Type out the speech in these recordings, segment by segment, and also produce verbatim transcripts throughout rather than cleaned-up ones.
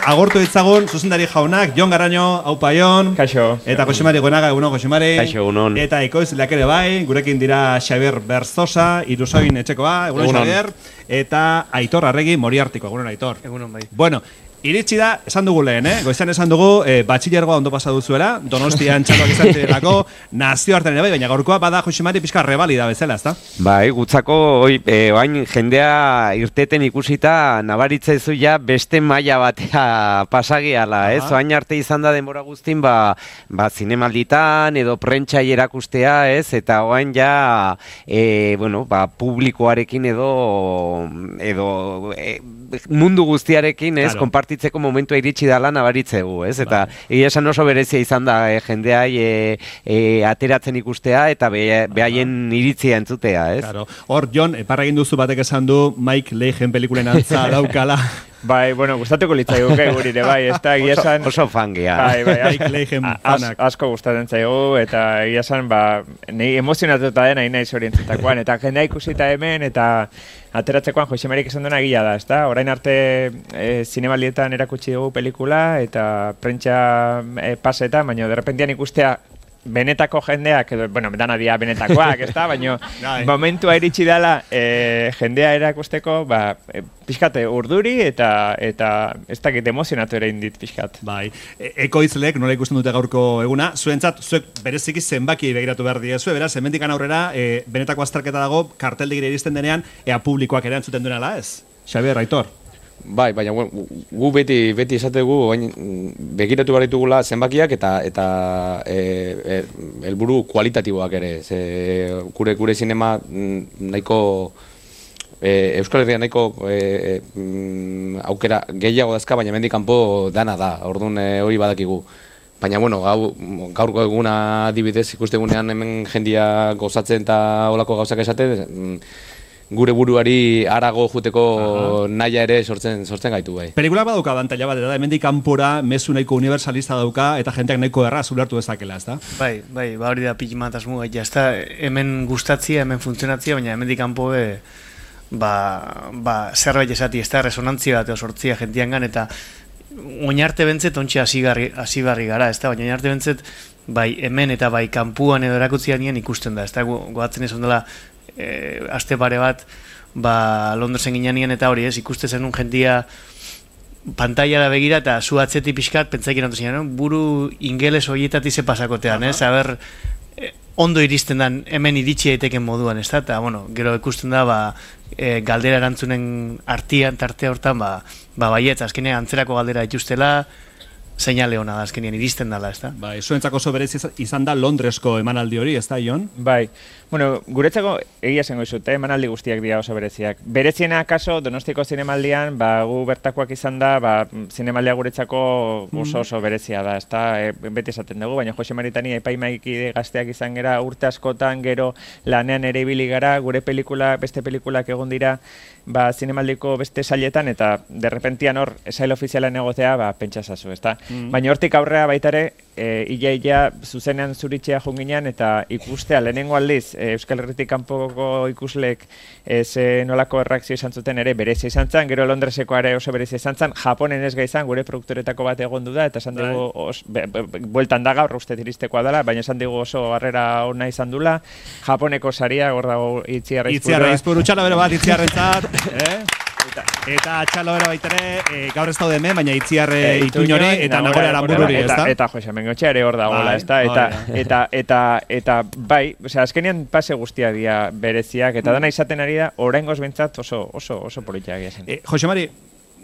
agortu ditzagun zuzendari jaunak, Jon Garaño, aupa Jon. Kaixo. Eta Josemari Goenaga, egunon Josemari. Kaixo, egunon. Eta ekoizleak ere bai, gurekin dira Xabier Berzosa, Irusoin etxekoa, egunon Xabier. Eta Aitor Arregi, Moriartiko, egunon Aitor. Egunon bai. Bueno, iritsi da, esan dugu lehen, eh? Goizan esan dugu, eh, batxillergoa ondo pasa duzuela, Donostian txaloak izan zirelako, nazio hartan ere bai, baina gaurkoa bada Josemari pixka rebalida bezala, ezta? Bai, gutzako, oi, e, oain jendea irteten ikusita, nabaritza zu ja beste maila batea pasagiala, ez? Oain arte izan da denbora guztin, ba, ba zinemalditan edo prentsa erakustea, ez? Eta oain ja, e, bueno, ba, publikoarekin edo, edo, e, mundu guztiarekin, ez, claro. Konpartitzeko momentua iritsi dala nabaritzegu, ez, eta egia esan oso berezia izan da, eh, jendea e, e, ateratzen ikustea, eta be, behaien iritzia entzutea, ez. Claro. Hor, Jon, parragin duzu batek esan du, Mike Leigen pelikulen antza daukala. Bai, bueno, gustatuko litzaiguke gurire, bai, ez da, egia esan... Oso, oso fangia. Bai, bai, Mike Leigen fanak. Asko gustatzen zaigu, eta egia esan, ba, nahi emozionatuta den, nahi nahi zorientzetakoan, eta jendea ikusita hemen, eta ateratzekoan Josemerik esan duena gila da, ez da? Orain arte e, zinemaldietan erakutsi dugu pelikula, eta prentsa e, paseta, baina derrepentian ikustea benetako jendeak, edo, bueno, dana dia benetakoak, ez da? Baina momentua iritsi dela e, jendea erakusteko, ba, e, pixkat urduri eta eta ez dakit emozionatu ere indit pixkat. Bai, e ekoizlek nola ikusten dute gaurko eguna, zuentzat, zuek bereziki zenbaki begiratu behar diezue, beraz, hemendikan aurrera, e, benetako azterketa dago, karteldegira iristen denean, ea publikoak ere antzuten duenala, ez? Xabier, Aitor. Bai, baina gu beti beti esategu begiratu behar ditugula zenbakiak eta eta e, e, helburu kualitatiboak ere. Ze, gure gure zinema nahiko e, Euskal Herria nahiko e, e, aukera gehiago dazka, baina hemendik kanpo dana da. Orduan e, hori badakigu. Baina, bueno, gau, gaurko eguna adibidez ikustegunean hemen jendia gozatzen eta olako gauzak esaten, gure buruari harago juteko naia ere sortzen sortzen gaitu bai. Pelikula badauka abantaila bat, da hemendik kanpora mezu nahiko universalista dauka eta jenteak nahiko erraz ulertu dezakela, ezta? Bai, bai, ba hori da pilimatasmu gaita, ezta? Hemen gustatzia, hemen funtzionatzia, baina hemendik kanpo be ba ba zerbait esati, ezta? Resonantzia bat sortzia jentiangan eta oinarte bentzet ontsi hasigarri hasigarri gara, ezta? Baina oinarte bentzet bai hemen eta bai kanpuan edo erakutzianean ikusten da, ezta? Goatzen esan dela E, aste pare bat ba, Londresen ginean eta hori ez, ikuste zenun jentia pantailara begira eta zu atzeti pixkat pentsaikin antu zinean, buru ingeles horietati ze pasakotean, ez, haber e, ondo iristen dan hemen iritsi daiteken moduan, ez da, eta bueno, gero ikusten da ba, e, galdera erantzunen artian, tarte hortan, ba, ba baietz, azkenean antzerako galdera dituztela, seinale hona da, azkenean iristen dela, ez da? Bai, zuentzako oso berezi izan da Londresko emanaldi hori, ez da, Jon? Bai, bueno, guretzako egia zengo izute, emanaldi guztiak dira oso bereziak. Bereziena akaso, Donostiko zinemaldian, ba, gu bertakoak izan da, ba, zinemaldia guretzako oso oso berezia da, ez da, e, beti esaten dugu, baina Jose Maritani epaimaiki gazteak izan gera, urte askotan, gero lanean ere ibili gara, gure pelikula, beste pelikulak egon dira, ba, zinemaldiko beste sailetan, eta derrepentian hor, esail ofizialan egotea, ba, pentsasazu, ez da. Mm. Baina hortik aurrea baita ere, e, ia ia zuzenean zuritxea junginean, eta ikustea lehenengo aldiz, e, Euskal Herritik kanpoko ikusleek e, ze nolako erreakzio izan zuten ere berezia izan zen, gero Londreseko ere oso berezia izan zen, Japonen ez gaizan, gure produktoretako bat egon du da, eta esan dugu, os, be, be, be, bueltan da gaur uste tiristekoa dela, baina esan dugu oso harrera ona izan dula, Japoneko saria, hor dago Itziarra Izpuru. Itziarra Izpuru, txalo bero bat, Itziarrentzat, eh? Eta txalo bera baitere, e, gaur ez daude hemen, baina Itziarre e, Ituñori eta Nagore Aranbururi, ez da? Eta Jose Mengotxe ere hor dagoela, ez da? Eta, eta, eta, eta, bai, osea, azkenean pase guztia dira bereziak, eta dana izaten ari da, oraingoz bentsat oso, oso, oso politia egia zen. E, Jose Mari,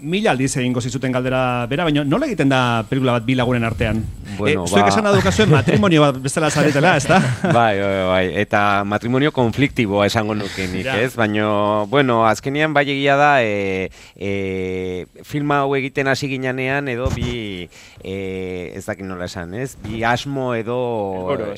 mila aldiz egingo zizuten galdera bera, baina nola egiten da pelikula bat bi lagunen artean? Bueno, e, zuek ba... esan adukazuen matrimonio bat bezala zaretela, ez da? Bai, bai, bai, eta matrimonio konfliktiboa esango nukenik, ja. Ez? Baina, bueno, azkenean bai egia da, e, e, filma hau egiten hasi ginean edo bi, e, ez dakit nola esan, ez? Bi asmo edo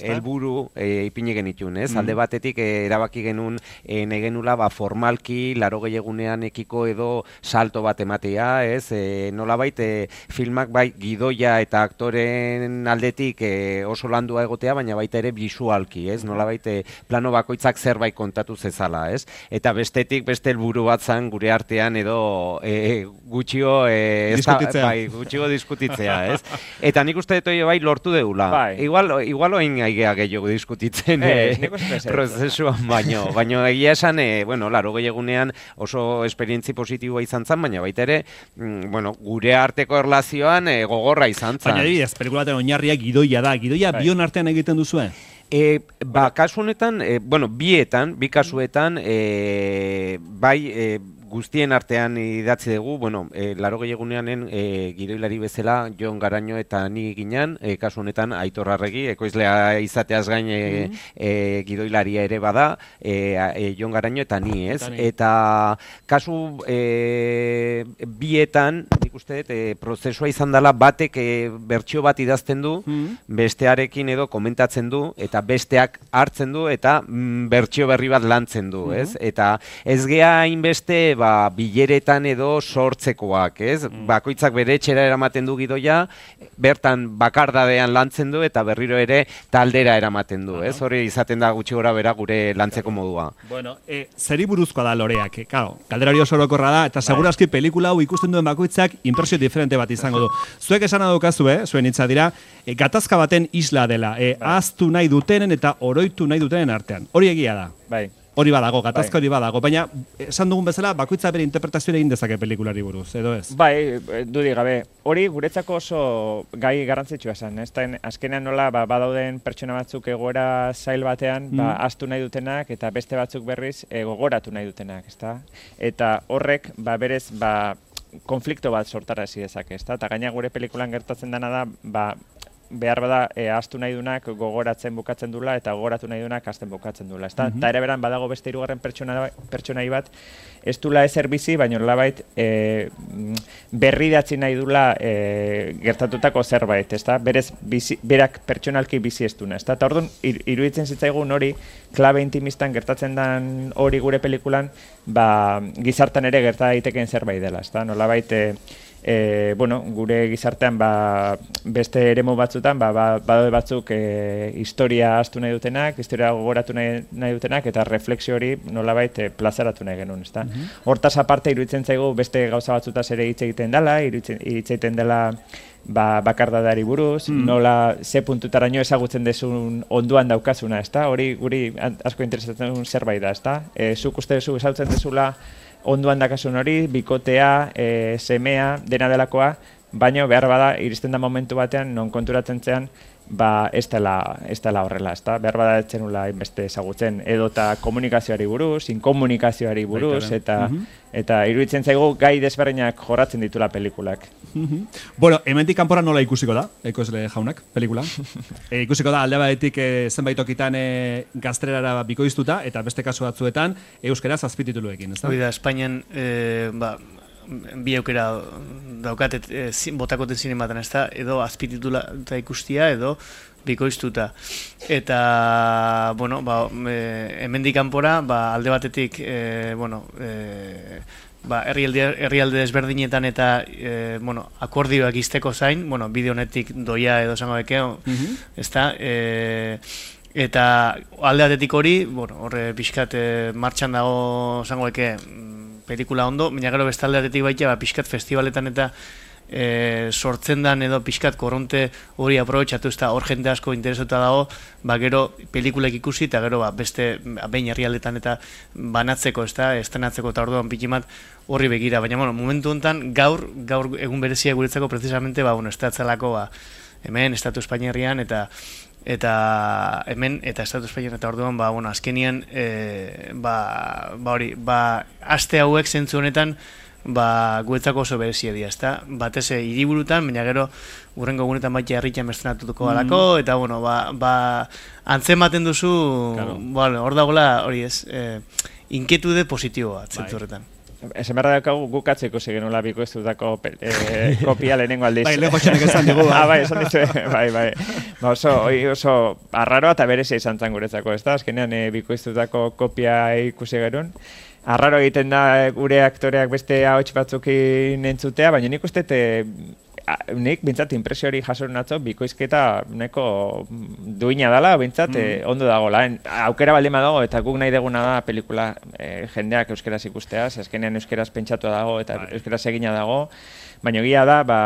helburu e, ipini genitun, ez? Mm. Alde batetik e, erabaki genuen e, negenula ba, formalki, laro gehiagunean ekiko edo salto bat ematea ikusgarria, ez? E, nolabait e, filmak bai gidoia eta aktoren aldetik e, oso landua egotea, baina baita ere bisualki, ez? Nolabait e, plano bakoitzak zerbait kontatu zezala, ez? Eta bestetik beste helburu bat zan gure artean edo e, gutxio e, ez da, bai, gutxio diskutitzea, ez? Eta nik uste dut bai lortu deula. Bai. Igual, igual oin aigea gehiago diskutitzen e, e, prozesuan baino, baino egia esan, e, bueno, laro gehiagunean oso esperientzi positiboa izan zen, baina baita ere, mm, bueno, gure arteko erlazioan e, gogorra izan zen. Baina adibidez, pelikulaten oinarria gidoia da, gidoia bai. Bion artean egiten duzue? E, ba, kasu honetan, e, bueno, bietan, bi kasuetan, e, bai, e, guztien artean idatzi dugu, bueno, e, laro gehiaguneanen e, gidoilari bezala Jon Garaño eta ni ginean, e, kasu honetan Aitor Arregi, ekoizlea izateaz gain e, mm -hmm. e, gidoilaria ere bada, e, e, Jon Garaño eta ni, ez? Eta, ni. Eta kasu e, bietan, nik uste dut, e, prozesua izan dela batek e, bertsio bat idazten du, mm -hmm. bestearekin edo komentatzen du, eta besteak hartzen du, eta mm, bertsio berri bat lantzen du, mm -hmm. ez? Eta ez gea hainbeste, ba, bileretan edo sortzekoak, ez? Mm. Bakoitzak bere etxera eramaten du gidoia, bertan bakardadean lantzen du eta berriro ere taldera eramaten du, ez? Hori izaten da gutxi gora bera gure lantzeko modua. Bueno, e, zeri buruzkoa da loreak, e, claro, galdera hori oso orokorra da, eta segurazki pelikula hau ikusten duen bakoitzak inpresio diferente bat izango du. Zuek esan adokazu, eh? Zuen hitza dira, e, gatazka baten isla dela, e, ahaztu nahi dutenen eta oroitu nahi dutenen artean. Hori egia da. Bai. Hori badago, gatazka hori badago, baina esan dugun bezala bakoitza bere interpretazioa egin dezake pelikulari buruz, edo ez? Bai, dudik gabe, hori guretzako oso gai garrantzitsua esan, ez da, azkenean nola ba, badauden pertsona batzuk egoera zail batean, mm. ba, ahaztu nahi dutenak, eta beste batzuk berriz e, gogoratu nahi dutenak, ez da? Eta horrek, ba, berez, ba, konflikto bat sortarazi dezake, ez da? Eta gaina gure pelikulan gertatzen dena da, ba, behar bada e, ahaztu nahi dunak gogoratzen bukatzen dula eta gogoratu nahi dunak ahazten bukatzen dula. Eta mm -hmm. ere beran badago beste hirugarren pertsona, pertsonai bat ez dula ezer bizi, baina nolabait e, berridatzi nahi dula e, gertatutako zerbait, ezta? Berez bizi, berak pertsonalki bizi ez duna, ezta? Eta orduan ir, iruditzen zitzaigun hori klabe intimistan gertatzen den hori gure pelikulan, ba, gizartan ere gerta daitekeen zerbait dela, ezta? Nolabait e, E, bueno, gure gizartean ba, beste eremu batzutan ba, ba, badaude batzuk e, historia ahaztu nahi dutenak, historia gogoratu nahi, nahi dutenak eta refleksio hori nolabait e, plazaratu nahi genuen, ezta? Mm -hmm. Hortaz aparte iruditzen zaigu beste gauza batzutaz ere hitz egiten dela, iruditzen, hitz egiten dela ba, bakardadari buruz, mm. nola ze puntutaraino ezagutzen dezun onduan daukazuna, ezta? Hori guri asko interesatzen zerbait da, ezta? E, zuk uste duzu ezagutzen dezula onduan dakasun hori, bikotea, e, semea, dena delakoa, baina behar bada, iristen da momentu batean, non konturatzen zean, ba, ez dela, ez dela horrela, ez da? Behar bada etzen nula inbeste ezagutzen, edota komunikazioari buruz, inkomunikazioari buruz, eta, mm -hmm. eta iruditzen zaigu gai desberdinak jorratzen ditula pelikulak. Mm -hmm. Bueno, hemendik kanpora nola ikusiko da, ekoizle jaunak, pelikula? e, ikusiko da, alde batetik e, zenbait tokitan e, gazterara bikoiztuta, eta beste kasu batzuetan, euskaraz azpitituluekin, ez da? Hoi da, Espainian, e, ba, bi aukera daukatet e, botakoten zinematan, ez da, edo azpititula ikustia, edo bikoiztuta. Eta, bueno, ba, e, hemendik kanpora, ba, alde batetik, e, bueno, e, ba, herrialde, herrialde desberdinetan eta e, bueno, akordioak izteko zain, bueno, bideo honetik doia edo zango bekeo, mm -hmm. ez da, e, eta alde batetik hori, bueno, horre pixkat e, martxan dago zango beke pelikula ondo, baina gero beste alde batetik baita, ba, pixkat festivaletan eta E, sortzen dan edo pixkat korronte hori aprobetxatu, ez da hor jende asko interesatuta dago, ba gero pelikulek ikusi eta gero ba, beste behin herrialdetan eta banatzeko, ez da, estrenatzeko eta orduan pikimat horri begira, baina bueno, momentu honetan gaur, gaur egun berezia guretzako precisamente, ba, bueno, estatzalako ba, hemen, Estatu Espainiarrian eta eta hemen, eta Estatu Espainian eta orduan, ba, bueno, azkenian e, ba, ba hori, ba, aste hauek zentzu honetan ba, guetzako oso berezia dira, ezta? Batez hiriburutan, baina gero urrengo gunetan baita herritan estrenatuko galako, mm. eta bueno, ba, ba antzematen duzu, claro. Bueno, hor dagoela, hori ez, eh, inkietude positiboa, zentzu horretan. Ezen behar daukagu gukatzeko zegenola bikoiztutako eh, kopia lehenengo aldiz. Bai, leho txenek esan dugu. Ah, bai, esan dizu, bai, bai. Ba, oso, oso arraroa eta berezia izan zan guretzako, ez da? Azkenean eh, bikoiztutako kopia ikusi gerun. arraro egiten da gure aktoreak beste ahots batzukin entzutea, baina nik uste nik bintzat impresio hori jaso natzo bikoizketa neko duina dela, bintzat mm. eh, ondo dago lan. Aukera baldin badago eta guk nahi deguna da pelikula eh, jendeak euskeraz ikustea, azkenean euskeraz pentsatua dago eta bai. Euskeraz egina dago, baina egia da ba,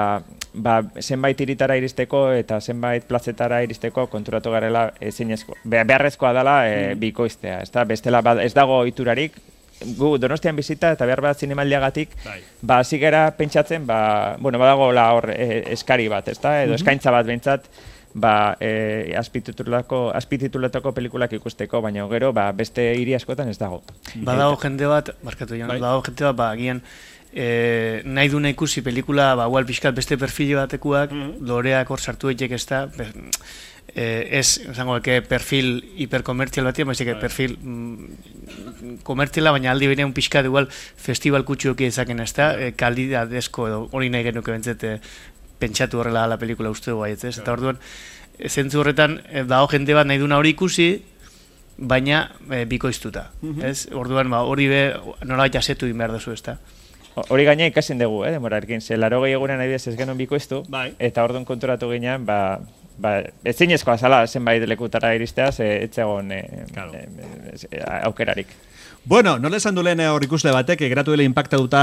ba, zenbait iritara iristeko eta zenbait plazetara iristeko konturatu garela ezinezko. Beharrezkoa dela eh, mm. bikoiztea, ez da, bestela ba, ez dago iturarik. Gu Donostian bizita eta behar bat zinemaldiagatik bai. Ba hasi gara pentsatzen ba bueno badago la hor e, eskari bat, ezta? Edo mm-hmm. eskaintza bat behintzat ba eh azpititulatako azpititulatako pelikulak ikusteko, baina gero ba beste hiri askotan ez dago. Badago jende bat, markatu jan, bai. Badago jende bat ba agian eh nahi duna ikusi pelikula ba igual pixkat beste perfil batekuak, mm-hmm. loreak hor sartu daiteke, ezta? Eh, ez, esango que perfil hiperkomertzial batia, baizik que perfil mm, komertziala, baina aldi berean pixka igual festival kutxuoki ezaken, ez da, e, kalidadezko edo hori nahi genuke bentzete pentsatu horrela la pelikula uste dugu baietz, ez? Eta orduan, zentzu horretan, e, dago jende bat nahi duna hori ikusi, baina e, bikoiztuta, mm-hmm. ez? Orduan, ba, hori be, nola jasetu egin behar duzu, ez da? Hori gaina ikasen dugu, eh, demorarekin, ze laro gehi egunen nahi ez genuen bikoiztu, bai. Eta orduan konturatu ginean, ba, ba, ezinezkoa zala zenbait lekutara iristea, ze etzegon e, claro. e, e, aukerarik. Bueno, nola esan du lehen hor ikusle batek, geratu dela impactatuta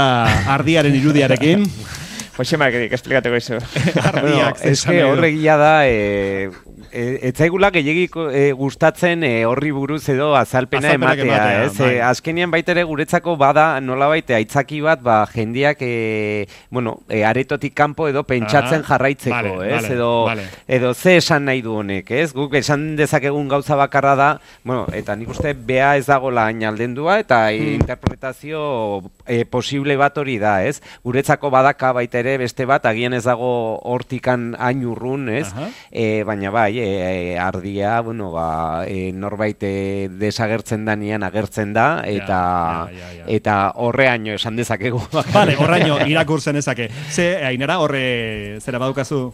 ardiaren irudiarekin. Josemak esplikatuko izu. Ardiak, ez que horregia da, e, e, etzaigula gehiagiko e, gustatzen e, horri buruz edo azalpena ematea, ematea, ez? Bai. E, azkenean baitere guretzako bada nolabait aitzaki bat, ba, jendiak e, bueno, e, aretotik kanpo edo pentsatzen ah, jarraitzeko, vale, ez? Vale, edo, vale. edo ze esan nahi du honek, ez? Guk esan dezakegun gauza bakarra da, bueno, eta nik uste bea ez dagoela ainaldendua eta hmm. interpretazio e, posible bat hori da, ez? Guretzako badaka baita ere beste bat, agian ez dago hortikan hain urrun, ez? E, baina bai, e, ardia, bueno, ba, e, norbait e, desagertzen danean agertzen da, eta ja, ja, ja, ja. eta horreaino esan dezakegu. Vale, horreaino irakurtzen ezake. Ze, Ainara, horre zera badukazu?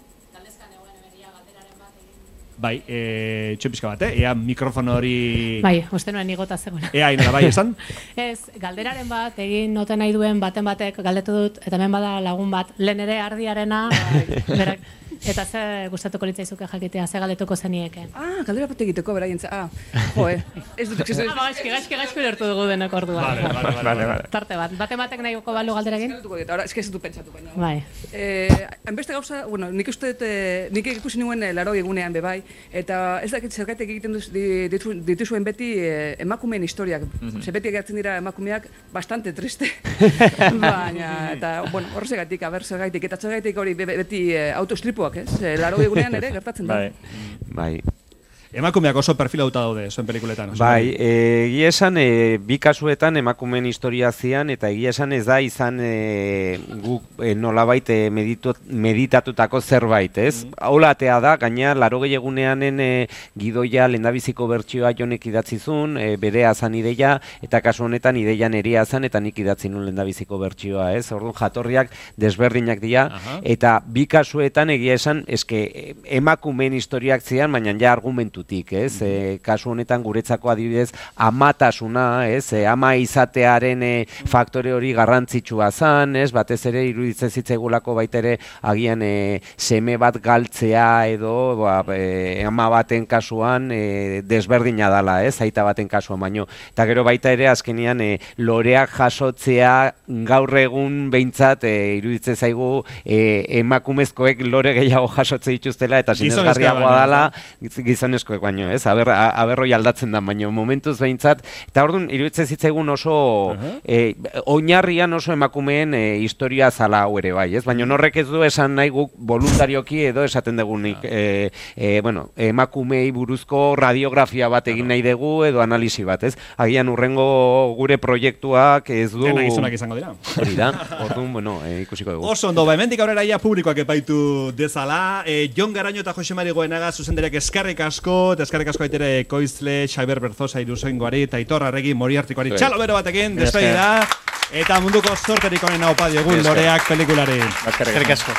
Bai, e, txopizka bat, eh? Ea mikrofono hori... Bai, uste nuen igota zegoena. Ea, Ainara, bai, esan? Ez, galderaren bat, egin noten nahi duen baten batek galdetu dut, eta hemen bada lagun bat, lehen ere ardiarena, bai, berak, eta ze gustatuko litzaizuke jakitea, ze galdetuko zenieke. Ah, galdera bat egiteko, beraientza, ah, joe, ez dut iksezu... Ah, gaizki, gaizki, gaizki lertu dugu denek orduan. Vale, vale, vale, vale. Tarte bat, baten batek nahi goko balu galdera egin? Eskertuko dit, ahora, eske ez dut pentsatu baina. Bai. Eh, hainbeste gauza, bueno, nik uste dut, nik ikusi nuen laro egunean bebai, eta ez dakit zergaitek egiten duz, ditu, dituzuen beti eh, emakumeen historiak. Mm-hmm. Ze beti egatzen dira emakumeak bastante triste. Baina, eta, bueno, horregatik, aber zergaitik, eta zergaitik hori beti eh, autostripuak, ez? Eh, laro egunean ere gertatzen da. Bai. Bai. Emakumeak oso perfilauta daude, zuen pelikuletan. Bai, egia esan, e, bi kasuetan emakumeen historia zian, eta egia esan ez da izan e, guk e, nolabait e, meditu, meditatutako zerbait, ez? Mm. Aulatea da, gaina, laro gehiaguneanen e, gidoia lendabiziko bertsioa jonek idatzizun, e, bere azan ideia, eta kasu honetan ideia neria azan, eta nik idatzi nun lendabiziko bertsioa, ez? Orduan jatorriak desberdinak dira, aha. Eta bi kasuetan egia esan, eske emakumeen historiak zian, baina ja argumentu ez, mm-hmm. e, kasu honetan guretzako adibidez amatasuna, ez, e, ama izatearen e, faktore hori garrantzitsua zan, ez, batez ere iruditzen zitzaigulako baita ere agian e, seme bat galtzea edo ba, e, ama baten kasuan e, desberdina dala, ez, aita baten kasuan baino, eta gero baita ere azkenean e, loreak jasotzea gaur egun behintzat e, iruditzen zaigu e, emakumezkoek lore gehiago jasotze dituztela eta sinesgarriagoa dala gizonezko baino, ez? Aber, aberroi aldatzen da, baino momentuz behintzat, eta orduan, iruditzen zitzaigun oso, uh-huh. e, oinarrian oso emakumeen e, historia zala hau ere bai, ez? Baina horrek ez du esan nahi guk voluntarioki edo esaten dugunik, e, e, bueno, emakumei buruzko radiografia bat egin nahi dugu edo analisi bat, ez? Agian urrengo gure proiektuak ez du... Gena gizonak izango dira. Hori da, orduan, bueno, e, ikusiko dugu. Oso ondo, ba, hemendik aurrera ia publikoak epaitu dezala, e, Jon Garaño eta Jose Mari Goenaga zuzenderak eskerrik asko, eta eskerrik asko aitere Koizle, Xabier Berzosa, Iruzoingoari, eta Aitor Arregi, Moriartikoari, txalo bero batekin, despedida, eta munduko zorterik honen haupa diogun loreak pelikulari. Eskerrik asko.